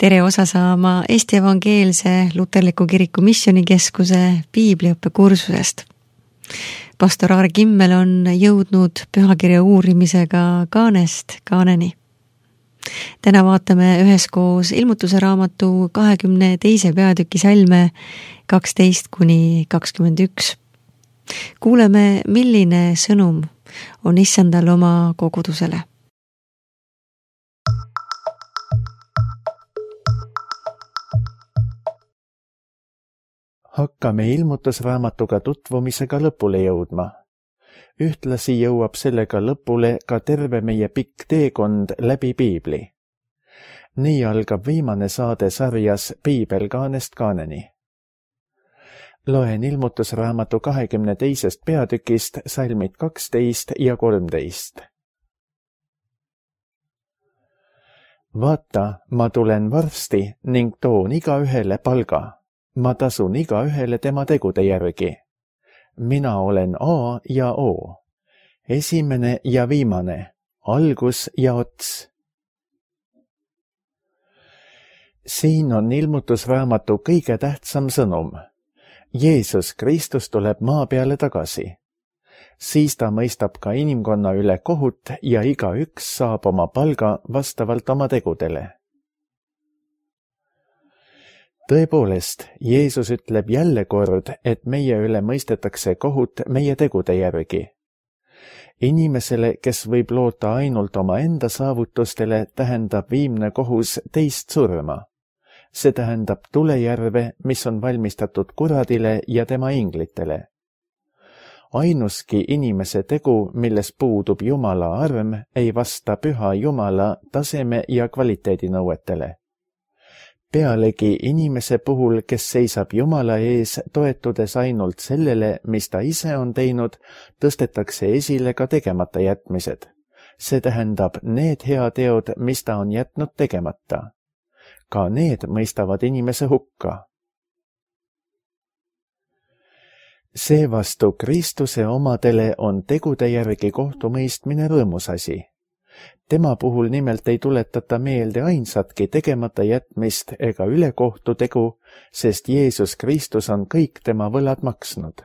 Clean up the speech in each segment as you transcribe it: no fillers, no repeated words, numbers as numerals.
Tere osa saama Eesti Evangeelse Luterliku Kiriku Missioonikeskuse piibliõppe kursusest. Pastor Aare Kimmel on jõudnud pühakirja uurimisega kaanest kaaneni. Täna vaatame üheskoos ilmutuse raamatu 22. peatüki salme 12-21. Kuuleme, milline sõnum on Issandal oma kogudusele. Hakkame ilmutusraamatuga tutvumisega lõpule jõudma. Ühtlasi jõuab sellega lõpule ka terve meie pikk teekond läbi piibli. Nii algab viimane saade sarjas Piibel kaanest kaaneni. Loen ilmutusraamatu 22. peatükist salmid 12 ja 13. Vaata, ma tulen varsti ning toon igaühele palga. Ma tasun igaühele tema tegude järgi. Mina olen A ja O, esimene ja viimane, algus ja ots. Siin on ilmutusraamatu kõige tähtsam sõnum. Jeesus Kristus tuleb maa peale tagasi. Siis ta mõistab ka inimkonna üle kohut ja igaüks saab oma palga vastavalt oma tegudele. Tõepoolest, Jeesus ütleb jälle kord, et meie üle mõistetakse kohut meie tegude järgi. Inimesele, kes võib loota ainult oma enda saavutustele, tähendab viimne kohus teist surma. See tähendab tulejärve, mis on valmistatud kuradile ja tema inglitele. Ainuski inimese tegu, milles puudub Jumala arm, ei vasta püha Jumala taseme ja kvaliteedinõuetele. Pealegi inimese puhul, kes seisab Jumala ees, toetudes ainult sellele, mis ta ise on teinud, tõstetakse esile ka tegemata jätmised. See tähendab need heateod, mis ta on jätnud tegemata. Ka need mõistavad inimese hukka. Seevastu Kristuse omadele on tegude järgi kohtumõistmine rõõmus asi. Tema puhul nimelt ei tuletata meelde ainsatki tegemata jätmist ega ülekohtu tegu, sest Jeesus Kristus on kõik tema võlad maksnud.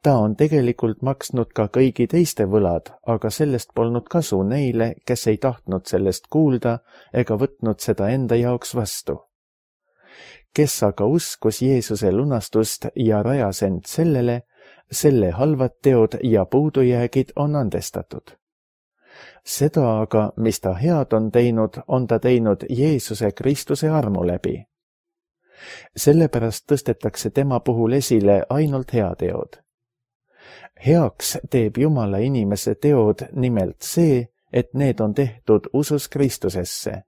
Ta on tegelikult maksnud ka kõigi teiste võlad, aga sellest polnud kasu neile, kes ei tahtnud sellest kuulda ega võtnud seda enda jaoks vastu. Kes aga uskus Jeesuse lunastust ja rajas end sellele, selle halvad teod ja puudujäägid on andestatud. Seda aga, mis ta head on ta teinud Jeesuse Kristuse armu läbi. Sellepärast tõstetakse tema puhul esile ainult heateod. Heaks teeb Jumala inimese teod nimelt see, et need on tehtud usus Kristusesse.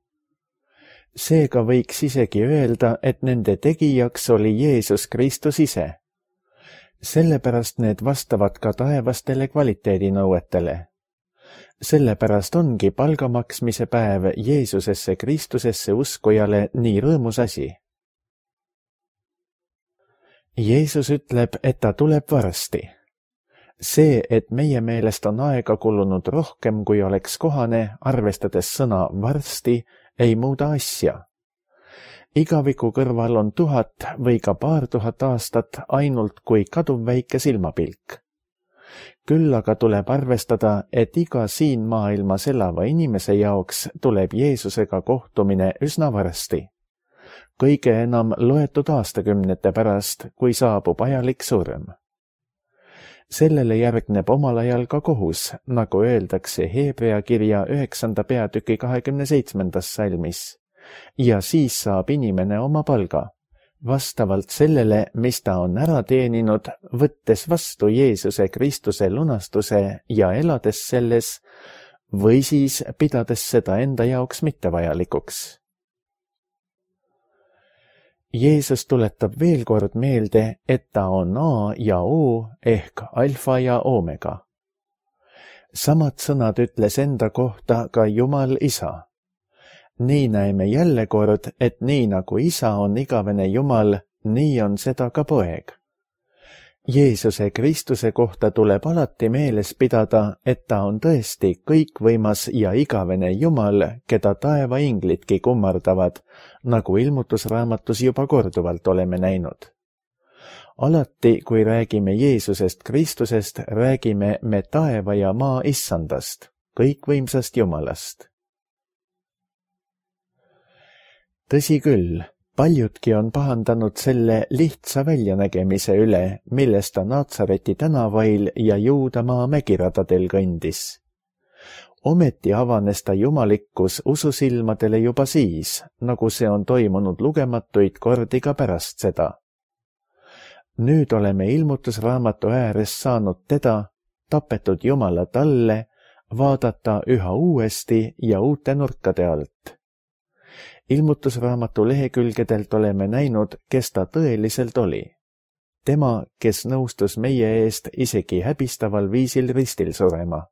Seega võiks isegi öelda, et nende tegijaks oli Jeesus Kristus ise. Sellepärast need vastavad ka taevastele kvaliteedinõuetele. Sellepärast ongi palga maksmise päev Jeesusesse Kristusesse uskujale nii rõõmus asi. Jeesus ütleb, et ta tuleb varsti. See, et meie meelest on aega kulunud rohkem, kui oleks kohane, arvestades sõna varsti, ei muuda asja. Igaviku kõrval on 1000 või ka paar tuhat aastat ainult kui kaduv väike silmapilk. Küll aga tuleb arvestada, et iga siin maailmas elava inimese jaoks tuleb Jeesusega kohtumine üsna varsti. Kõige enam loetud aastakümnete pärast, kui saabub ajalik surm. Sellele järgneb omal ajal ka kohus, nagu öeldakse Hebrea kirja 9. peatüki 27. salmis. Ja siis saab inimene oma palga. Vastavalt sellele, mis ta on ära teeninud, võttes vastu Jeesuse Kristuse lunastuse ja elades selles, või siis pidades seda enda jaoks mittevajalikuks. Jeesus tuletab veel kord meelde, et ta on A ja O ehk alfa ja omega. Samad sõnad ütles enda kohta ka Jumal Isa. Nii näeme jälle kord, et nii nagu Isa on igavene Jumal, nii on seda ka Poeg. Jeesuse Kristuse kohta tuleb alati meeles pidada, et ta on tõesti kõikvõimas ja igavene Jumal, keda taeva inglidki kummardavad, nagu Ilmutusraamatus juba korduvalt oleme näinud. Alati, kui räägime Jeesusest Kristusest, räägime me taeva ja maa issandast, kõikvõimsast Jumalast. Tõsi küll, paljudki on pahandanud selle lihtsa väljanägemise üle, millest ta Naatsareti tänavail ja Juudamaa mägiradadel kõndis. Ometi avanes ta jumalikkus ususilmadele juba siis, nagu see on toimunud lugematuid kordi ka pärast seda. Nüüd oleme Ilmutusraamatu ääres saanud teda, tapetud Jumala talle, vaadata üha uuesti ja uute nurkade alt. Ilmutusraamatu lehekülgedelt oleme näinud, kes ta tõeliselt oli. Tema, kes nõustus meie eest isegi häbistaval viisil ristil surema.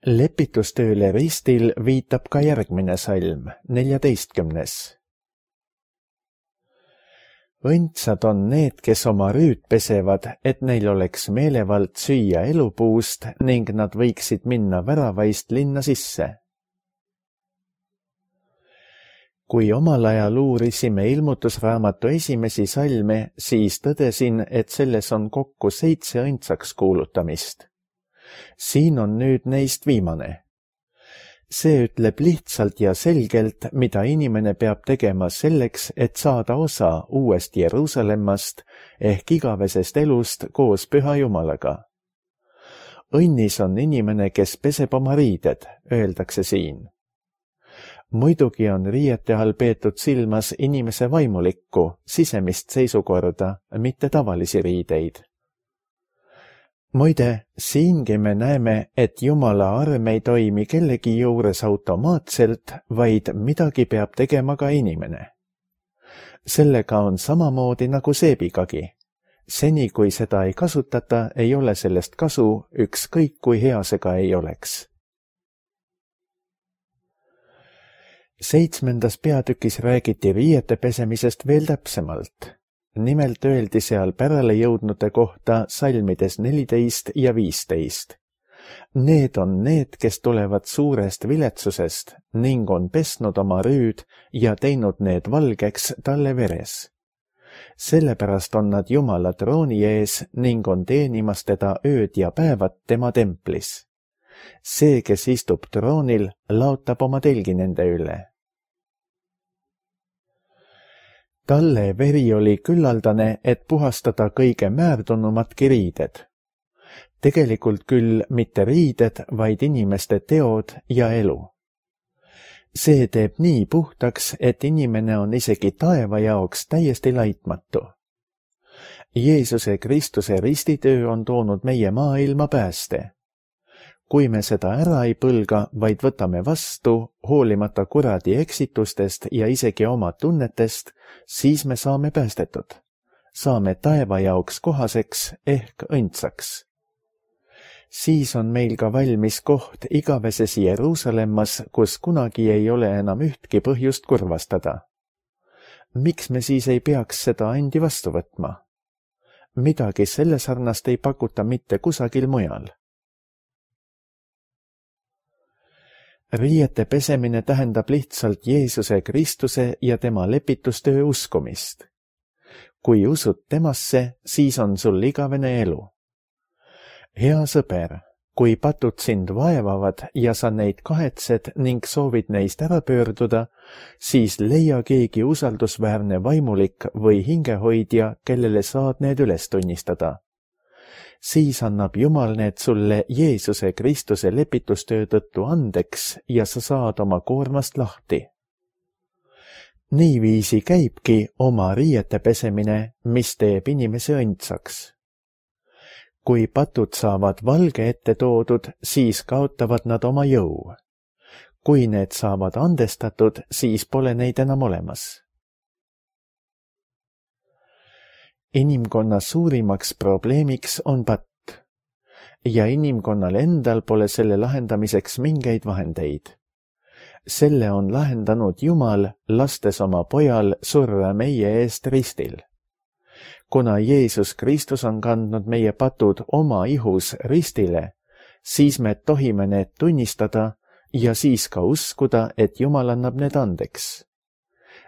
Lepitustööle ristil viitab ka järgmine salm, 14. Õndsad on need, kes oma rüüd pesevad, et neil oleks meelevald süüa elupuust ning nad võiksid minna väravaist linna sisse. Kui omal ajal uurisime Ilmutusraamatu esimesi salme, siis tõdesin, et selles on kokku 7 õndsaks kuulutamist. Siin on nüüd neist viimane. See ütleb lihtsalt ja selgelt, mida inimene peab tegema selleks, et saada osa uuest Jeruusalemmast ehk igavesest elust koos Püha Jumalaga. Õnnis on inimene, kes peseb oma riided, öeldakse siin. Muidugi on riiete all peetud silmas inimese vaimulikku, sisemist seisukorda, mitte tavalisi riideid. Muide, siingi me näeme, et Jumala arm ei toimi kellegi juures automaatselt, vaid midagi peab tegema ka inimene. Sellega on samamoodi nagu seebigagi. Seni, kui seda ei kasutata, ei ole sellest kasu, ükskõik kui hea see ka ei oleks. 7. peatükis räägiti riiete pesemisest veel täpsemalt. Nimelt öeldi seal pärale jõudnute kohta salmides 14 ja 15. Need on need, kes tulevad suurest viletsusest ning on pesnud oma rüüd ja teinud need valgeks talle veres. Sellepärast on nad Jumala trooni ees ning on teenimas teda ööd ja päevad tema templis. See, kes istub troonil, laotab oma telgi nende üle. Talle veri oli küllaldane, et puhastada kõige määrdunumatki riided. Tegelikult küll mitte riided, vaid inimeste teod ja elu. See teeb nii puhtaks, et inimene on isegi taeva jaoks täiesti laitmatu. Jeesuse Kristuse ristitöö on toonud meie maailma pääste. Kui me seda ära ei põlga, vaid võtame vastu, hoolimata kuradi eksitustest ja isegi oma tunnetest, siis me saame päästetud. Saame taeva jaoks kohaseks ehk õndsaks. Siis on meil ka valmis koht igaveses Jeruusalemmas, kus kunagi ei ole enam ühtki põhjust kurvastada. Miks me siis ei peaks seda andi vastu võtma? Midagi selle sarnast ei pakuta mitte kusagil mujal. Riiete pesemine tähendab lihtsalt Jeesuse Kristuse ja tema lepitustöö uskumist. Kui usud temasse, siis on sul igavene elu. Hea sõber, kui patud sind vaevavad ja sa neid kahetsed ning soovid neist ära pöörduda, siis leia keegi usaldusväärne vaimulik või hingehoidja, kellele saad need üles tunnistada. Siis annab Jumal need sulle Jeesuse Kristuse lepitustöö tõttu andeks ja sa saad oma koormast lahti. Niiviisi käibki oma riiete pesemine, mis teeb inimese õndsaks. Kui patud saavad valge ette toodud, siis kaotavad nad oma jõu. Kui need saavad andestatud, siis pole neid enam olemas. Inimkonna suurimaks probleemiks on patt ja inimkonnal endal pole selle lahendamiseks mingeid vahendeid. Selle on lahendanud Jumal, lastes oma pojal surra meie eest ristil. Kuna Jeesus Kristus on kandnud meie patud oma ihus ristile, siis me tohime need tunnistada ja siis ka uskuda, et Jumal annab need andeks.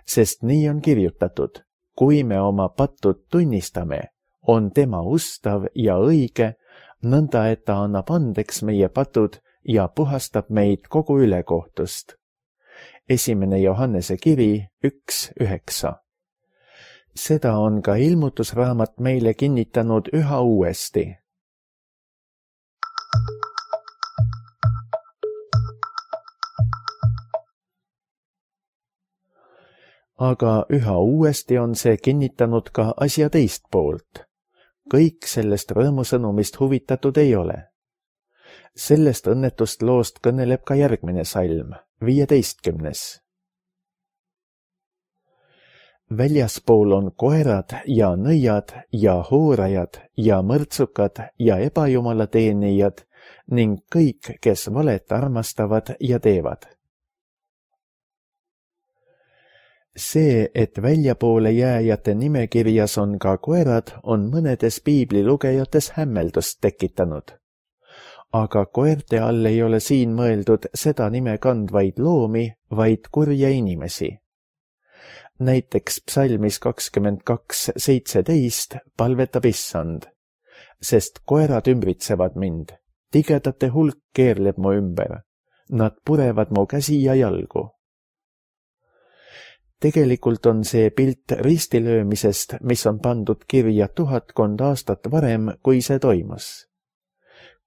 Sest nii on kirjutatud, kui me oma patud tunnistame, on tema ustav ja õige, nõnda et ta annab andeks meie patud ja puhastab meid kogu ülekohtust. 1. Johannese kiri 1:9. Seda on ka ilmutusraamat meile kinnitanud üha uuesti. Aga üha uuesti on see kinnitanud ka asja teist poolt. Kõik sellest rõõmusõnumist huvitatud ei ole. Sellest õnnetust loost kõneleb ka järgmine salm, 15. Väljaspool on koerad ja nõiad ja hoorajad ja mõrtsukad ja ebajumalateenijad ning kõik, kes valet armastavad ja teevad. See, et väljapoole jääjate nimekirjas on ka koerad, on mõnedes piiblilugejates hämmeldust tekitanud. Aga koerte all ei ole siin mõeldud seda nime kandvaid loomi, vaid kurje inimesi. Näiteks psalmis 22:17 palvetab Issand, sest koerad ümbritsevad mind, tigedate hulk keerleb mu ümber, nad purevad mu käsi ja jalgu. Tegelikult on see pilt ristilöömisest, mis on pandud kirja 1000 aastat varem, kui see toimus.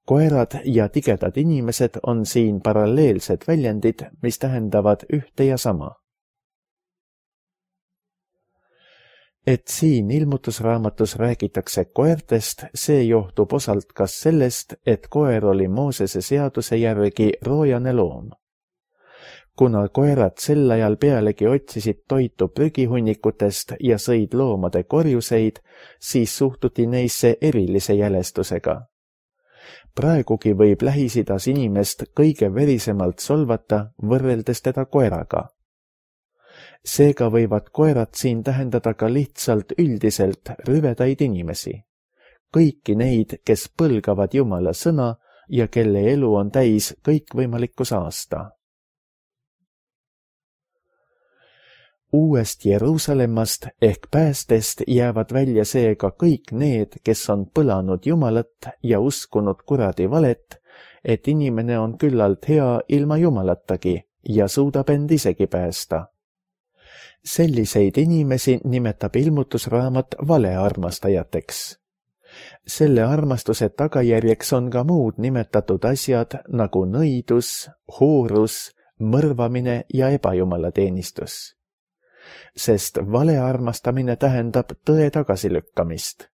Koerad ja tigedad inimesed on siin paralleelsed väljendid, mis tähendavad ühte ja sama. Et siin ilmutusraamatus räägitakse koertest, see johtub osalt kas sellest, et koer oli Moosese seaduse järgi roojane loom. Kuna koerad sel ajal pealegi otsisid toitu prügihunnikutest ja sõid loomade korjuseid, siis suhtuti neisse erilise jälestusega. Praegugi võib Lähis-Idas inimest kõige verisemalt solvata, võrreldes teda koeraga. Seega võivad koerad siin tähendada ka lihtsalt üldiselt rüvedaid inimesi. Kõiki neid, kes põlgavad Jumala sõna ja kelle elu on täis kõikvõimalikku saasta. Uuest Jeruusalemmast ehk päästest jäävad välja seega kõik need, kes on põlanud Jumalat ja uskunud kuradi valet, et inimene on küllalt hea ilma Jumalatagi ja suudab end isegi päästa. Selliseid inimesi nimetab ilmutusraamat valearmastajateks. Selle armastuse tagajärjeks on ka muud nimetatud asjad nagu nõidus, hoorus, mõrvamine ja ebajumalateenistus. Sest valearmastamine tähendab tõe tagasilükkamist.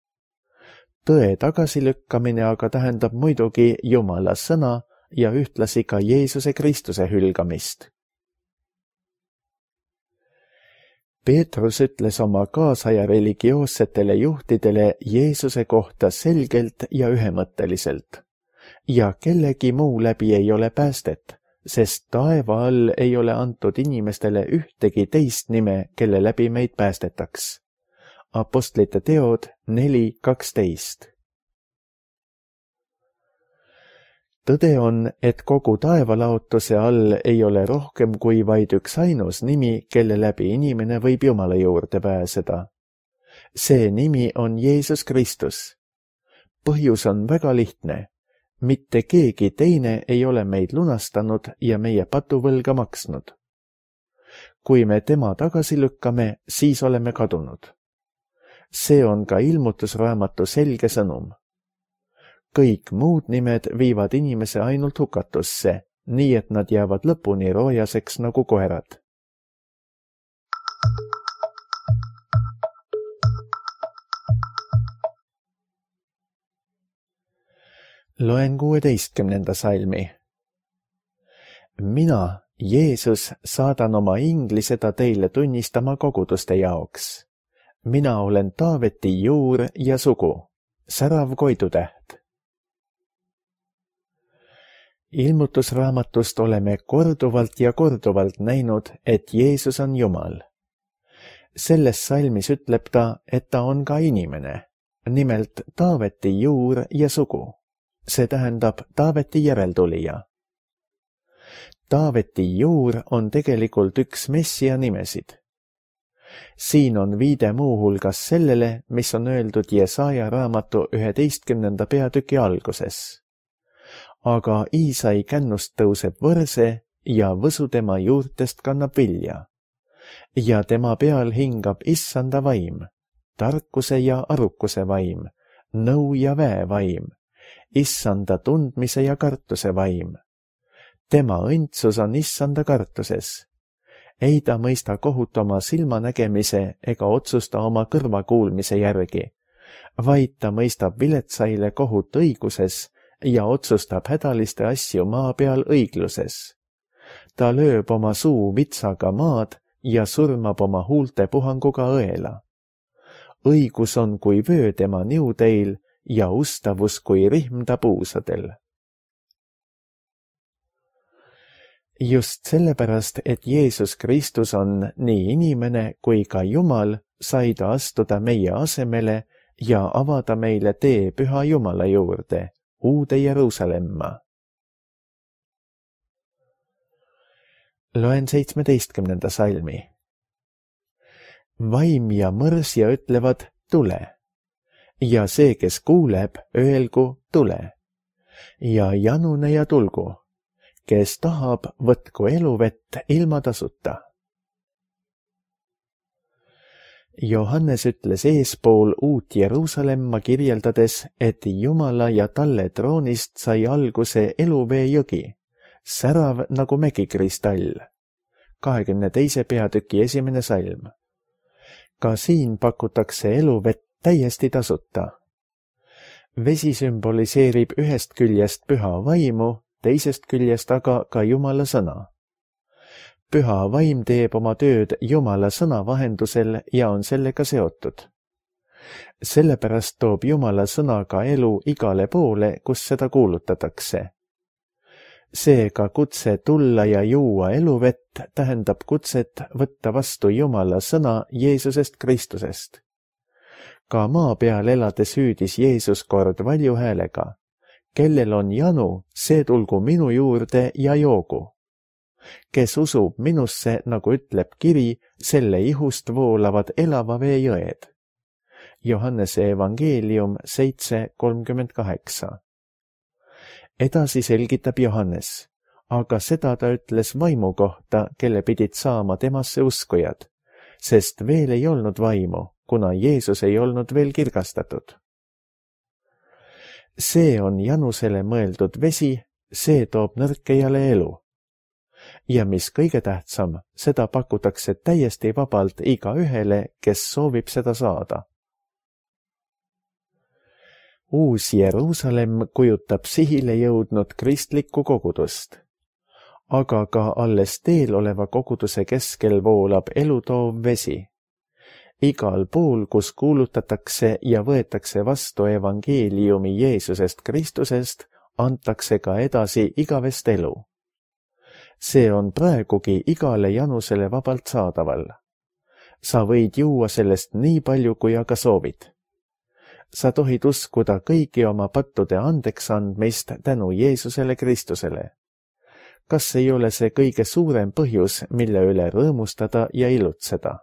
Tõe tagasilükkamine aga tähendab muidugi Jumala sõna ja ühtlasi ka Jeesuse Kristuse hülgamist. Peetrus ütles oma kaasaja religioossetele juhtidele Jeesuse kohta selgelt ja ühemõtteliselt. Ja kellegi muu läbi ei ole päästet, sest taeva all ei ole antud inimestele ühtegi teist nime, kelle läbi meid päästetaks. Apostlite teod 4:12. Tõde on, et kogu taevalaotuse all ei ole rohkem kui vaid üks ainus nimi, kelle läbi inimene võib Jumala juurde pääseda. See nimi on Jeesus Kristus. Põhjus on väga lihtne. Mitte keegi teine ei ole meid lunastanud ja meie patuvõlga maksnud. Kui me tema tagasi lükkame, siis oleme kadunud. See on ka ilmutusraamatu selge sõnum. Kõik muud nimed viivad inimese ainult hukatusse, nii et nad jäävad lõpuni roojaseks nagu koerad. Loen 16. salmi. Mina, Jeesus, saadan oma ingli seda teile tunnistama koguduste jaoks. Mina olen Taaveti juur ja sugu, särav koidutäht. Ilmutusraamatust oleme korduvalt ja korduvalt näinud, et Jeesus on Jumal. Selles salmis ütleb ta, et ta on ka inimene, nimelt Taaveti juur ja sugu. See tähendab Taaveti järeltulija. Taaveti juur on tegelikult üks Messia nimesid. Siin on viide muuhulgas sellele, mis on öeldud Jesaja raamatu 11. peatüki alguses. Aga Iisai kännust tõuseb võrse ja võsu tema juurtest kannab vilja. Ja tema peal hingab issanda vaim, tarkuse ja arukuse vaim, nõu ja väe vaim, issanda tundmise ja kartuse vaim. Tema õndsus on issanda kartuses. Ei ta mõista kohut oma silmanägemise ega otsusta oma kõrvakuulmise järgi, vaid ta mõistab viletsaile kohut õiguses ja otsustab hädaliste asju maa peal õigluses. Ta lööb oma suu vitsaga maad ja surmab oma huulte puhanguga õela. Õigus on kui vöö tema niudeil ja ustavus kui rihm ta puusadel. Just sellepärast, et Jeesus Kristus on nii inimene kui ka Jumal, sai ta astuda meie asemele ja avada meile tee Püha Jumala juurde, uude Jeruusalemma. Loen 17. salmi. Vaim ja mõrsja ütlevad tule, ja see, kes kuuleb, öelgu tule, ja janune ja tulgu, kes tahab, võtku eluvett ilma tasuta. Johannes ütles eespool uut Jeruusalemma kirjeldades, et Jumala ja talle troonist sai alguse eluvee jõgi, särav nagu mägikristall. 22. peatüki 1. salm. Ka siin pakutakse eluvett täiesti tasuta. Vesi sümboliseerib ühest küljest püha vaimu, teisest küljest aga ka Jumala sõna. Püha vaim teeb oma tööd Jumala sõna vahendusel ja on sellega seotud. Sellepärast toob Jumala sõna ka elu igale poole, kus seda kuulutatakse. Seega kutse tulla ja juua eluvett tähendab kutset võtta vastu Jumala sõna Jeesusest Kristusest. Ka maa peal elades hüüdis Jeesus kord valju häälega. Kellel on janu, see tulgu minu juurde ja joogu. Kes usub minusse, nagu ütleb kiri, selle ihust voolavad elava vee jõed. Johannese evangeelium 7:38. Edasi selgitab Johannes, aga seda ta ütles vaimu kohta, kelle pidid saama temasse uskujad, sest veel ei olnud vaimu, kuna Jeesus ei olnud veel kirgastatud. See on janusele mõeldud vesi, see toob nõrkejale elu. Ja mis kõige tähtsam, seda pakutakse täiesti vabalt igaühele, kes soovib seda saada. Uus Jeruusalemm kujutab sihile jõudnud kristlikku kogudust, aga ka alles teel oleva koguduse keskel voolab elutoov vesi. Igal pool, kus kuulutatakse ja võetakse vastu evangeeliumi Jeesusest Kristusest, antakse ka edasi igavest elu. See on praegugi igale janusele vabalt saadaval. Sa võid juua sellest nii palju, kui aga soovid. Sa tohid uskuda kõigi oma pattude andeks andmist tänu Jeesusele Kristusele. Kas ei ole see kõige suurem põhjus, mille üle rõõmustada ja ilutseda?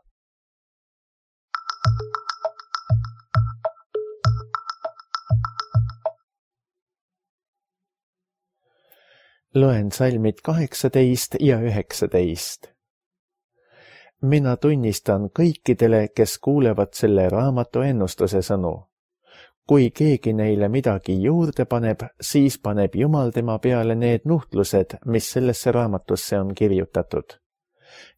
Loen salmid 18 ja 19. Mina tunnistan kõikidele, kes kuulevad selle raamatu ennustuse sõnu. Kui keegi neile midagi juurde paneb, siis paneb Jumal tema peale need nuhtlused, mis sellesse raamatusse on kirjutatud.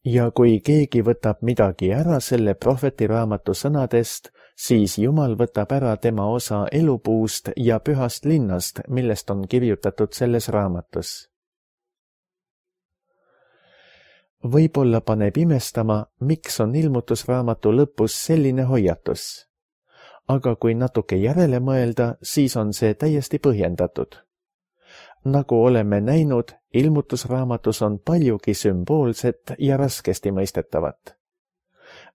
Ja kui keegi võtab midagi ära selle prohveti raamatu sõnadest, siis Jumal võtab ära tema osa elupuust ja pühast linnast, millest on kirjutatud selles raamatus. Võib-olla paneb imestama, miks on ilmutusraamatu lõpus selline hoiatus. Aga kui natuke järele mõelda, siis on see täiesti põhjendatud. Nagu oleme näinud, ilmutusraamatus on paljugi sümboolset ja raskesti mõistetavat.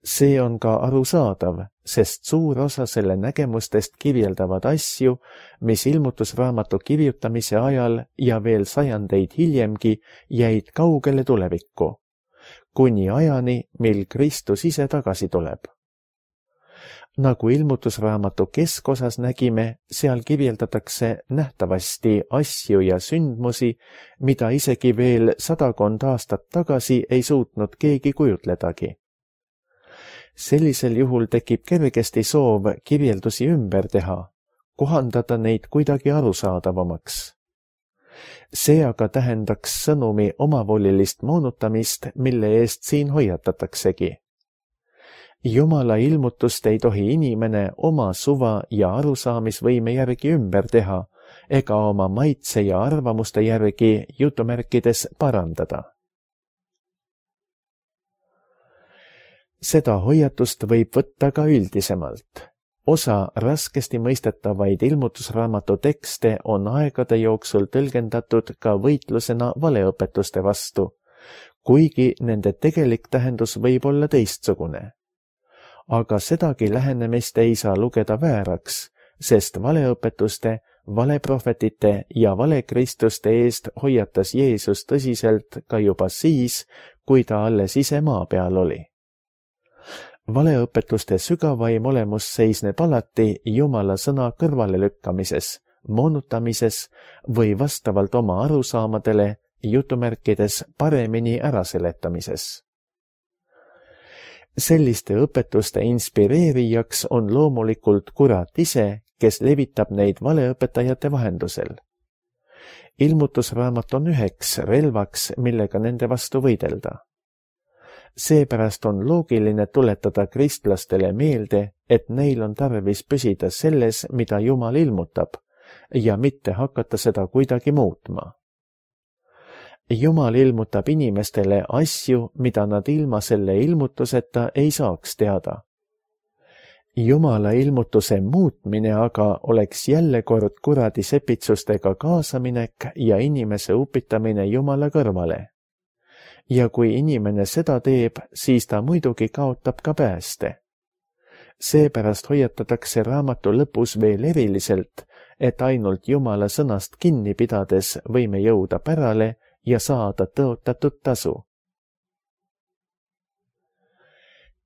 See on ka arusaadav, sest suur osa selle nägemustest kirjeldavad asju, mis ilmutusraamatu kirjutamise ajal ja veel sajandeid hiljemgi jäid kaugele tulevikku, kuni ajani, mil Kristus ise tagasi tuleb. Nagu ilmutusraamatu keskosas nägime, seal kirjeldatakse nähtavasti asju ja sündmusi, mida isegi veel 100 aastat tagasi ei suutnud keegi kujutledagi. Sellisel juhul tekib kergesti soov kirjeldusi ümber teha, kohandada neid kuidagi arusaadavamaks. See aga tähendaks sõnumi omavolilist moonutamist, mille eest siin hoiatataksegi. Jumala ilmutust ei tohi inimene oma suva ja arusaamisvõime järgi ümber teha ega oma maitse ja arvamuste järgi jutumärkides parandada. Seda hoiatust võib võtta ka üldisemalt. Osa raskesti mõistetavaid ilmutusraamatu tekste on aegade jooksul tõlgendatud ka võitlusena valeõpetuste vastu, kuigi nende tegelik tähendus võib olla teistsugune. Aga sedagi lähenemist ei saa lugeda vääraks, sest valeõpetuste, valeprohvetite ja valekristuste eest hoiatas Jeesus tõsiselt ka juba siis, kui ta alles ise maa peal oli. Valeõpetuste sügavaim olemus seisneb alati Jumala sõna kõrvalelükkamises, moonutamises või vastavalt oma arusaamadele jutumärkides paremini äraseletamises. Selliste õpetuste inspireerijaks on loomulikult kurat ise, kes levitab neid valeõpetajate vahendusel. Ilmutusraamat on üheks relvaks, millega nende vastu võidelda. Seepärast on loogiline tuletada kristlastele meelde, et neil on tarvis püsida selles, mida Jumal ilmutab, ja mitte hakata seda kuidagi muutma. Jumal ilmutab inimestele asju, mida nad ilma selle ilmutuseta ei saaks teada. Jumala ilmutuse muutmine aga oleks jälle kord kuradi sepitsustega kaasaminek ja inimese upitamine Jumala kõrvale. Ja kui inimene seda teeb, siis ta muidugi kaotab ka pääste. Seepärast hoiatatakse raamatu lõpus veel eriliselt, et ainult Jumala sõnast kinni pidades võime jõuda pärale ja saada tõotatud tasu.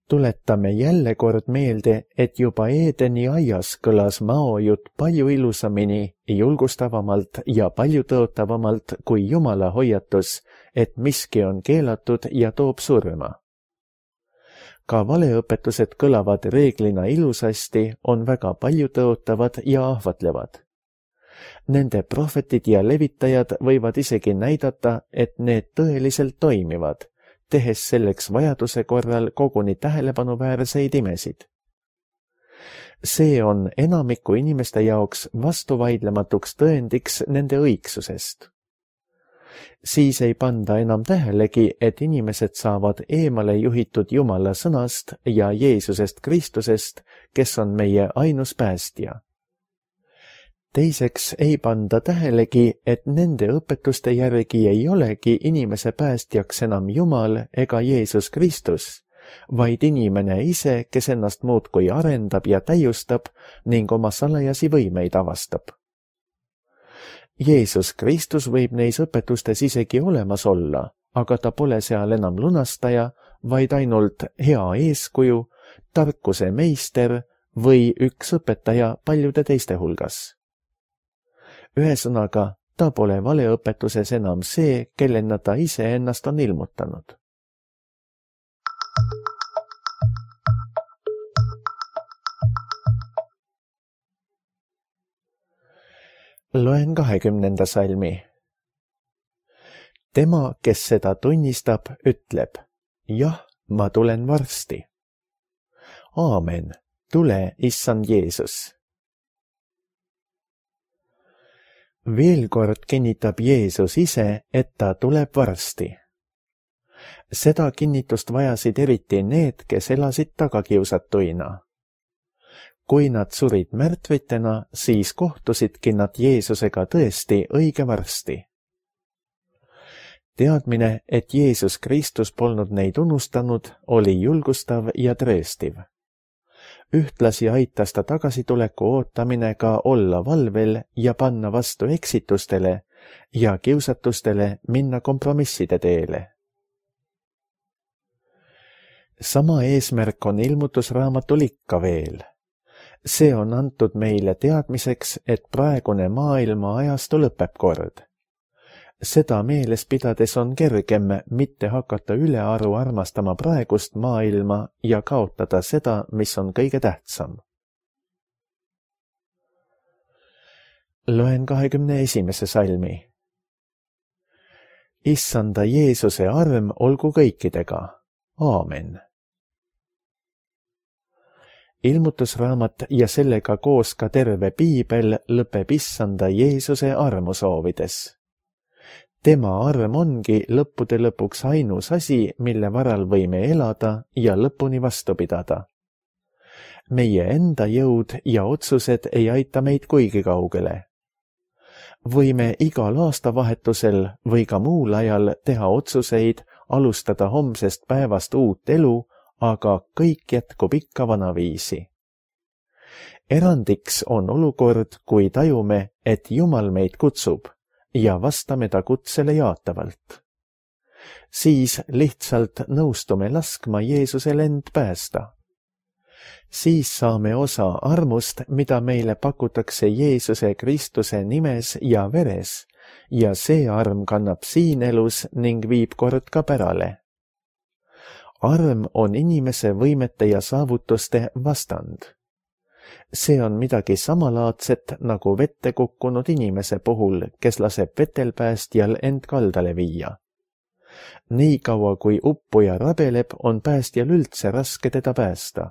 Tuletame jälle kord meelde, et juba Eedeni aias kõlas maojutt palju ilusamini, julgustavamalt ja palju tõotavamalt kui Jumala hoiatus, et miski on keelatud ja toob surma. Ka valeõpetused kõlavad reeglina ilusasti, on väga palju tõotavad ja ahvatlevad. Nende prohvetid ja levitajad võivad isegi näidata, et need tõeliselt toimivad, tehes selleks vajaduse korral koguni tähelepanuväärseid imesid. See on enamiku inimeste jaoks vastuvaidlematuks tõendiks nende õigsusest. Siis ei panda enam tähelegi, et inimesed saavad eemale juhitud Jumala sõnast ja Jeesusest Kristusest, kes on meie ainus päästja. Teiseks ei panda tähelegi, et nende õpetuste järgi ei olegi inimese päästjaks enam Jumal ega Jeesus Kristus, vaid inimene ise, kes ennast muudkui arendab ja täiustab ning oma salajasi võimeid avastab. Jeesus Kristus võib neis õpetustes isegi olemas olla, aga ta pole seal enam lunastaja, vaid ainult hea eeskuju, tarkuse meister või üks õpetaja paljude teiste hulgas. Ühesõnaga, ta pole valeõpetuses enam see, kellena ta ise ennast on ilmutanud. Loen 20. salmi. Tema, kes seda tunnistab, ütleb, jah, ma tulen varsti. Aamen, tule, issand Jeesus. Veel kord kinnitab Jeesus ise, et ta tuleb varsti. Seda kinnitust vajasid eriti need, kes elasid tagakiusatuina. kui nad surid märtvitena, siis kohtusidki nad Jeesusega tõesti õige varsti. Teadmine, et Jeesus Kristus polnud neid unustanud, oli julgustav ja trööstiv. Ühtlasi aitas ta tagasituleku ootamine ka olla valvel ja panna vastu eksitustele ja kiusatustele minna kompromisside teele. Sama eesmärk on ilmutusraamatul ikka veel. See on antud meile teadmiseks, et praegune maailma ajastu lõpeb kord. Seda meeles pidades on kergem mitte hakata ülearu armastama praegust maailma ja kaotada seda, mis on kõige tähtsam. Loen 21. salmi. Issanda Jeesuse arm olgu kõikidega. Aamen. Ilmutusraamat ja sellega koos ka terve piibel lõpeb Issanda Jeesuse armu soovides. Tema arm ongi lõppude lõpuks ainus asi, mille varal võime elada ja lõpuni vastu pidada. Meie enda jõud ja otsused ei aita meid kuigi kaugele. Võime igal aastavahetusel või ka muul ajal teha otsuseid, alustada homsest päevast uut elu, aga kõik jätkub ikka vanaviisi. Erandiks on olukord, kui tajume, et Jumal meid kutsub ja vastame ta kutsele jaatavalt. Siis lihtsalt nõustume laskma Jeesusel end päästa. Siis saame osa armust, mida meile pakutakse Jeesuse Kristuse nimes ja veres, ja see arm kannab siin elus ning viib kord ka pärale. Arm on inimese võimete ja saavutuste vastand. See on midagi samalaadset nagu vette kukkunud inimese puhul, kes laseb vetelpäästjal end kaldale viia. Nii kaua kui uppuja rabeleb, on päästjal üldse raske teda päästa.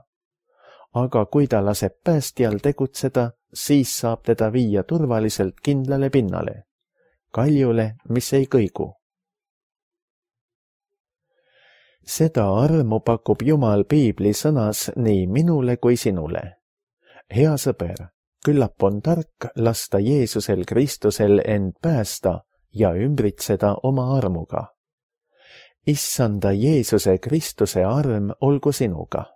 Aga kui ta laseb päästjal tegutseda, siis saab teda viia turvaliselt kindlale pinnale, kaljule, mis ei kõigu. Seda armu pakub Jumal piibli sõnas nii minule kui sinule. Hea sõber, küllap on tark lasta Jeesusel Kristusel end päästa ja ümbritseda oma armuga. Issanda Jeesuse Kristuse arm olgu sinuga.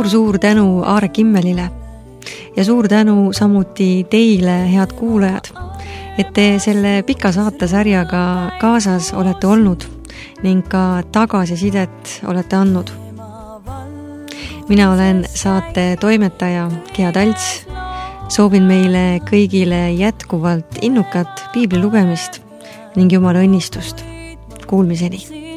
Suur tänu Aare Kimmelile ja suur tänu samuti teile, head kuulajad, et te selle pika saatesarjaga kaasas olete olnud ning ka tagasisidet olete andnud. Mina olen saate toimetaja Gea Talts. Soovin meile kõigile jätkuvalt innukat piibli lugemist ning Jumala õnnistust. Kuulmiseni!